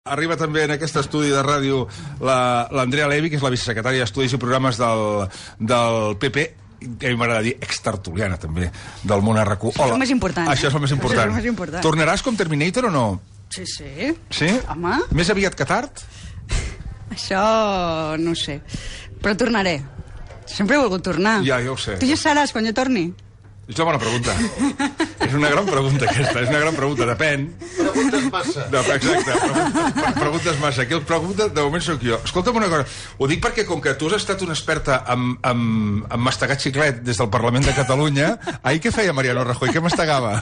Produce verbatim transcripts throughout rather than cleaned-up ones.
Arriba també en aquest estudi de ràdio l'Andrea Levy, que és la vicesecretària d'Estudis i Programes del, del P P, que a mi m'agrada dir extertuliana també, del món R Q. Això és el més important. Això és el més important. Això és el més important. Tornaràs com Terminator o no? Sí, sí. Sí? Home. Més aviat que tard? Això no ho sé. Però tornaré. Sempre he volgut tornar. Ja, ja ho sé. Tu ja seràs quan jo torni? És una bona pregunta. És una gran pregunta, aquesta. És una gran pregunta. Depèn. Preguntes massa. No, exacte. Preguntes, preguntes massa. Aquí el pregunta, de moment sóc jo. Escolta'm una cosa. Ho dic perquè, com que tu has estat una experta en, en, en mastegar xiclet des del Parlament de Catalunya, ahir què feia Mariano Rajoy? Què mastegava?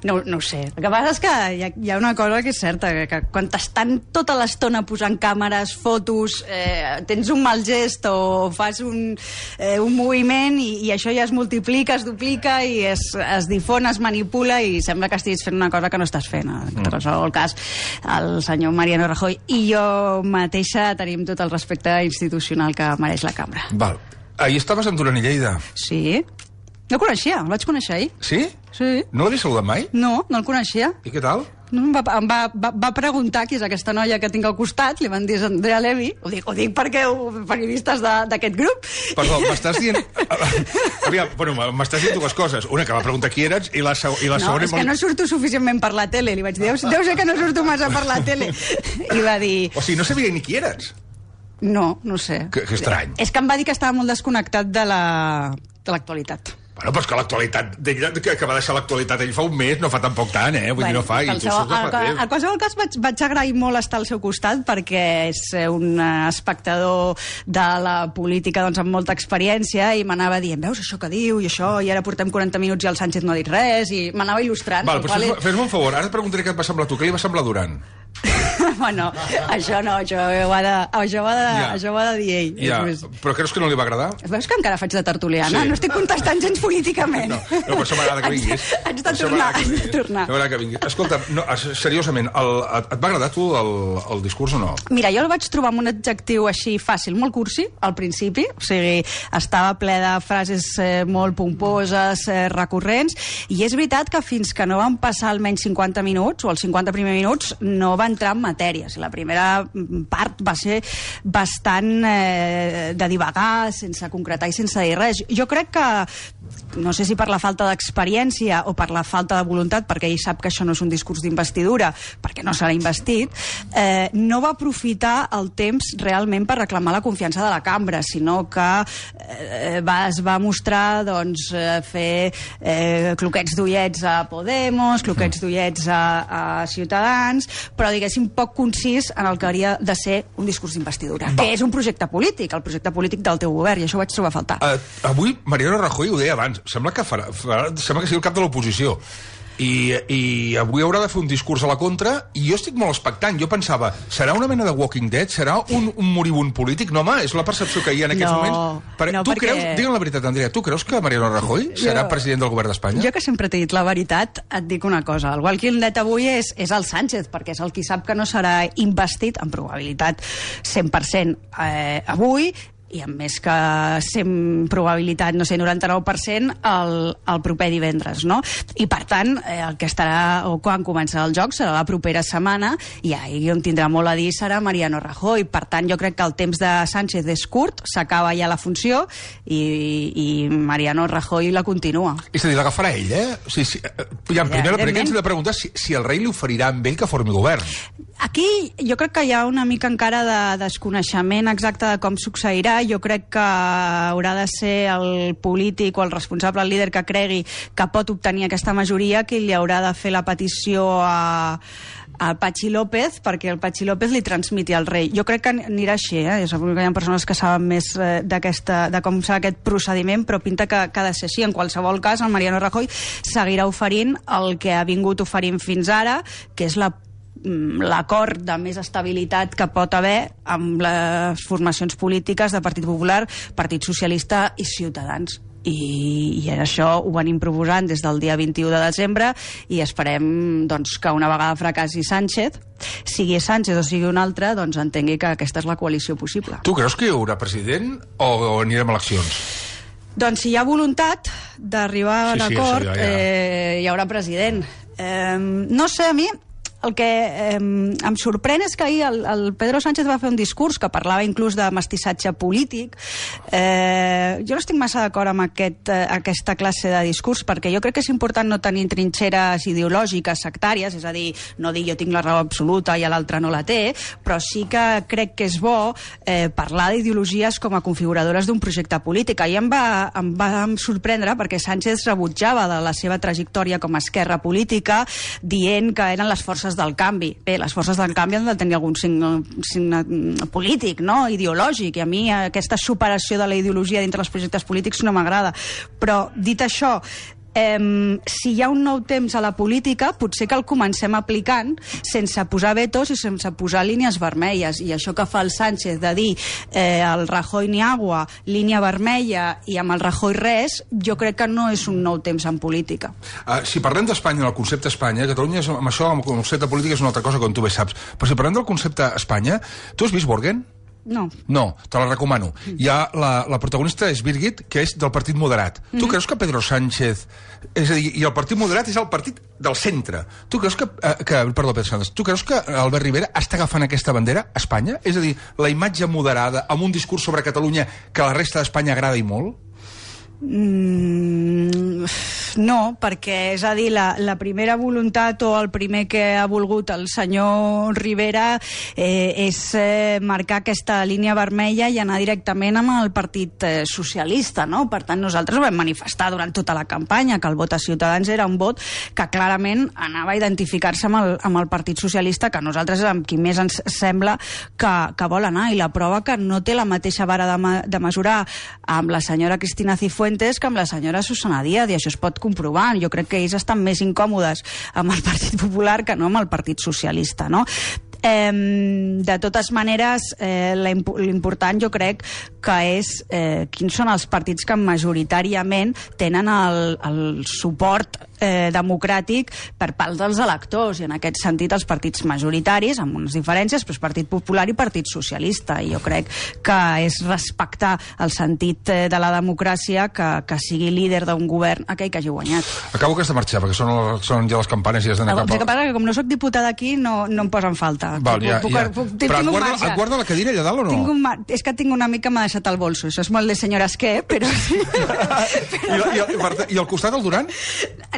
No, no ho sé. El que passa és que hi ha, hi ha una cosa que és certa, que, que quan t'estan tota l'estona posant càmeres, fotos, eh, tens un mal gest o fas un, eh, un moviment i, i això ja es multiplica, es duplica i es, es difon, es manipula i sembla que estiguis fent una cosa que no estàs fent. En qualsevol cas, el senyor Mariano Rajoy i jo mateixa tenim tot el respecte institucional que mereix la cambra. Val. Ahir estaves amb Duran i Lleida. Sí. No el coneixia, el vaig conèixer ahir. Sí? Sí. No l'havies saludat mai? No, no el coneixia. I què tal? No, em va, em va, va, va preguntar qui és aquesta noia que tinc al costat, li van dir és Andrea Levy, ho dic, ho dic perquè ho, periodistes d'aquest grup. Perdó, m'estàs dient... Aviam, bueno, m'estàs dient dues coses. Una, que va preguntar qui eres, i la, seg i la no, segona... No, és que no surto suficientment per la tele, li vaig dir, deu, deu ser que no surto massa per la tele. I va dir... O sigui, no sabia ni qui eres. No, no sé. Que, que estrany. És que em va dir que estava molt desconnectat de l'actualitat. La, Bueno, però és que l'actualitat, que, que va deixar l'actualitat ell fa un mes, no fa tampoc tant, eh? Vull bueno, dir, no fa, i tu surts de fa temps. En qualsevol cas, vaig, vaig agrair molt estar al seu costat, perquè és un espectador de la política doncs, amb molta experiència, i m'anava dient, veus això que diu, i això, i ara portem quaranta minuts i el Sánchez no ha dit res, i m'anava il·lustrant. Val, però fes-me fes un favor, ara et preguntaré què et va semblar tu, què li va semblar Duran? Bueno, això no, això ho ha de, això ho ha de, ja. això ho ha de dir ell. Ja. Però creus que no li va agradar? Veus que encara faig de tertuliana? Sí. No estic contestant gens políticament. No, no, per això m'agrada que vinguis. Haig de tornar, haig de tornar. M'agrada que vinguis. Escolta, no, seriosament, el, et va agradar tu el, el discurs o no? Mira, jo el vaig trobar amb un adjectiu així fàcil, molt cursi, al principi, o sigui, estava ple de frases eh, molt pomposes, eh, recurrents, i és veritat que fins que no van passar almenys cinquanta minuts, o els cinquanta primers minuts, no va entrar en matèries. La primera part va ser bastant eh, de divagar, sense concretar i sense dir res. Jo crec que, no sé si per la falta d'experiència o per la falta de voluntat, perquè ell sap que això no és un discurs d'investidura, perquè no serà investit, eh, no va aprofitar el temps realment per reclamar la confiança de la cambra, sinó que eh, va, es va mostrar doncs, eh, fer eh, cloquets d'ullets a Podemos, cloquets d'ullets a, a Ciutadans, però diguéssim poc concís en el que hauria de ser un discurs d'investidura, que és un projecte polític, el projecte polític del teu govern, i això ho vaig trobar a faltar. Uh, avui Mariano Rajoy ho deia abans, sembla que, farà, farà, sembla que sigui el cap de l'oposició. I, i avui haurà de fer un discurs a la contra, i jo estic molt expectant. Jo pensava, serà una mena de Walking Dead? Serà un, un moribund polític? No, home, és la percepció que hi ha en aquests no, moments. Per, no, tu perquè... creus, digue'm la veritat, Andrea, tu creus que Mariano Rajoy serà jo, president del govern d'Espanya? Jo, que sempre t'he dit la veritat, et dic una cosa. El Walking Dead avui és, és el Sánchez, perquè és el qui sap que no serà investit, amb probabilitat cent per cent eh, avui, i amb més que cent probabilitat, no sé, noranta-nou per cent el, el proper divendres, no? I per tant, eh, el que estarà, o quan començarà el joc, serà la propera setmana, i ahí on tindrà molt a dir serà Mariano Rajoy. Per tant, jo crec que el temps de Sánchez és curt, s'acaba ja la funció, i, i Mariano Rajoy la continua. És a dir, l'agafarà ell, eh? O sigui, si, ja, en primer, primer ens hem de preguntar si, si el rei li oferirà amb ell que formi govern. Aquí jo crec que hi ha una mica encara de desconeixement exacte de com succeirà. Jo crec que haurà de ser el polític o el responsable, el líder que cregui que pot obtenir aquesta majoria, que li haurà de fer la petició a, a Patxi López, perquè el Patxi López li transmiti al rei. Jo crec que anirà així, eh? Segur que hi ha persones que saben més eh, de com serà aquest procediment, però pinta que, que ha de ser així. En qualsevol cas, el Mariano Rajoy seguirà oferint el que ha vingut oferint fins ara, que és la l'acord de més estabilitat que pot haver amb les formacions polítiques de Partit Popular, Partit Socialista i Ciutadans. I, i això ho venim proposant des del dia vint-i-u de desembre, i esperem doncs, que una vegada fracassi Sánchez, sigui Sánchez o sigui un altre, doncs entengui que aquesta és la coalició possible. Tu creus que hi haurà president o, o anirem a eleccions? Doncs si hi ha voluntat d'arribar a un sí, sí, acord, ja, ja. Eh, hi haurà president. Eh, no sé, a mi el que eh, em sorprèn és que ahir el, el Pedro Sánchez va fer un discurs que parlava inclús de mestissatge polític. Eh, jo no estic massa d'acord amb aquest, eh, aquesta classe de discurs, perquè jo crec que és important no tenir trinxeres ideològiques sectàries, és a dir, no dir jo tinc la raó absoluta i l'altre no la té, però sí que crec que és bo eh, parlar d'ideologies com a configuradores d'un projecte polític. I em va, em va sorprendre perquè Sánchez rebutjava de la seva trajectòria com a esquerra política dient que eren les forces del canvi. Bé, les forces del canvi han de tenir algun signe, signe polític, no? Ideològic, i a mi aquesta superació de la ideologia dintre dels projectes polítics no m'agrada. Però, dit això, Um, si hi ha un nou temps a la política, potser que el comencem aplicant sense posar vetos i sense posar línies vermelles, i això que fa el Sánchez de dir eh, el Rajoy ni agua, línia vermella, i amb el Rajoy res, jo crec que no és un nou temps en política. Uh, si parlem d'Espanya, del concepte Espanya, Catalunya és, amb això, amb el concepte polític és una altra cosa, com tu bé saps, però si parlem del concepte Espanya, tu has vist Borgen? No. No, te la recomano. Hi ha la, la protagonista és Birgit, que és del Partit Moderat. Mm-hmm. Tu creus que Pedro Sánchez... És a dir, i el Partit Moderat és el partit del centre. Tu creus que... Eh, que perdó, Pedro Sánchez. Tu creus que Albert Rivera està agafant aquesta bandera a Espanya? És a dir, la imatge moderada, amb un discurs sobre Catalunya que a la resta d'Espanya agrada i molt? Mm, no, perquè és a dir, la, la primera voluntat o el primer que ha volgut el senyor Rivera eh, és eh, marcar aquesta línia vermella i anar directament amb el Partit eh, Socialista, no? Per tant, nosaltres ho vam manifestar durant tota la campanya, que el vot a Ciutadans era un vot que clarament anava a identificar-se amb, el, amb el Partit Socialista, que nosaltres és amb qui més ens sembla que, que vol anar, i la prova que no té la mateixa vara de, ma, de mesurar amb la senyora Cristina Cifuentes que amb la senyora Susana Díaz, i això es pot comprovar. Jo crec que ells estan més incòmodes amb el Partit Popular que no amb el Partit Socialista, no? Eh, de totes maneres, eh, l'important jo crec que és eh, quins són els partits que majoritàriament tenen el, el suport eh, democràtic per part dels electors, i en aquest sentit els partits majoritaris, amb unes diferències, però Partit Popular i Partit Socialista, i jo crec que és respectar el sentit eh, de la democràcia que, que sigui líder d'un govern aquell que hagi guanyat. Acabo que has de marxar, perquè són, són ja les campanes i has d'anar cap al... El que passa que com no soc diputada aquí no, no em posen falta. Val, ja, puc, ja. Puc, puc, però et guarda, et guarda la cadira allà dalt o no? Tinc un mar... És que tinc una mica m'ha deixat el bolso, això és molt de senyores què, però... però... I, i, I al costat el Duran?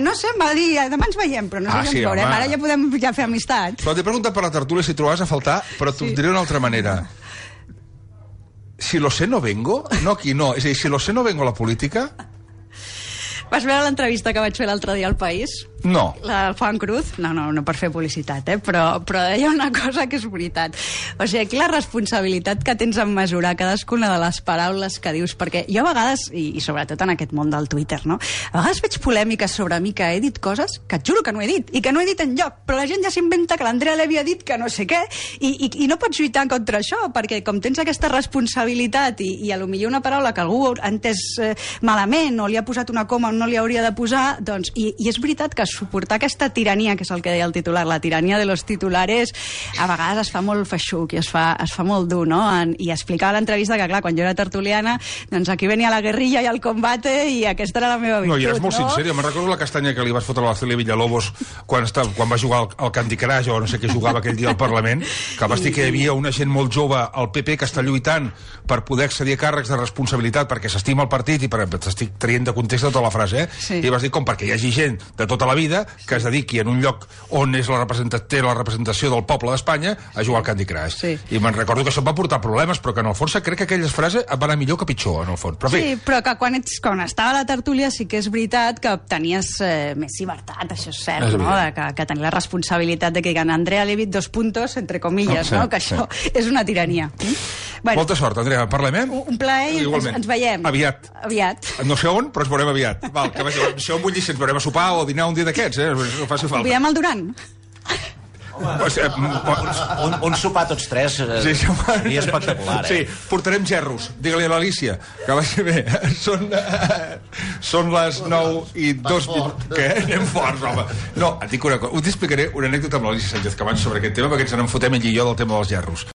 No sé, em va dir, demà ens veiem, però no sé ah, si sí, ens veurem, home. Ara ja podem ja fer amistat. Però t'he preguntat per la tertúlia si trobaves a faltar, però t'ho sí. diré d'una altra manera. Si lo sé no vengo, no aquí, no, és a dir, si lo sé no vengo a la política... Vas veure l'entrevista que vaig fer l'altre dia al País? No. La del Juan Cruz? No, no, no per fer publicitat, eh? Però, però deia una cosa que és veritat. O sigui, aquí la responsabilitat que tens en mesurar cadascuna de les paraules que dius, perquè jo a vegades, i, i sobretot en aquest món del Twitter, no? A vegades veig polèmiques sobre mi que he dit coses que et juro que no he dit, i que no he dit enlloc, però la gent ja s'inventa que l'Andrea Levy ha dit que no sé què, i, i, i no pots lluitar contra això, perquè com tens aquesta responsabilitat i, i a lo millor una paraula que algú ha entès eh, malament, o li ha posat una coma on no li hauria de posar, doncs, i, i és veritat que suportar aquesta tirania, que és el que deia el titular, la tirania de los titulares, a vegades es fa molt feixuc i es fa, es fa molt dur, no? En, I explicava a l'entrevista que, clar, quan jo era tertuliana, doncs aquí venia la guerrilla i el combate i aquesta era la meva virtut, no? I eres molt no? sincera. Me'n recordo la castanya que li vas fotre a la Celia Villalobos quan, estava, quan va jugar al, al Candy Crush o no sé què jugava aquell dia al Parlament, que vas dir que hi havia una gent molt jove al P P que està lluitant per poder accedir a càrrecs de responsabilitat perquè s'estima el partit, i per t'estic traient de context tota la frase, eh? Sí. I vas dir com perquè hi hagi gent de tota la vida que es dediqui en un lloc on és la té la representació del poble d'Espanya a jugar al Candy Crush. Sí. I me'n recordo que això va portar problemes, però que en el fons crec que aquelles frases van anar millor que pitjor, en el fons. Però, sí, però que quan, ets, quan estava a la tertúlia sí que és veritat que tenies eh, més llibertat, això és cert, és no? De, que, que tenia la responsabilitat de que digan Andrea Levy dos puntos, entre comillas, no? Sí, no? Que això sí. És una tirania. Bueno, molta sort, Andrea. Parlem, eh? Un plaer, ens, ens veiem. Aviat. Aviat. No sé on, però ens veurem aviat. Val, que vagi, si on vull dir si ens veurem a sopar o a dinar un dia d'aquests, eh? No faci falta. Convidem el Duran. Pues, eh, un, un sopar tots tres eh, sí, seria espectacular, eh? Sí, portarem gerros. Digue-li a l'Alícia que vagi bé. Són, eh, són les nou i dos minuts. Què? Anem forts, home. No, et dic una cosa. Us explicaré una anècdota amb l'Alícia Sánchez Camacho sobre aquest tema, perquè ens n'en fotem ell i jo del tema dels gerros.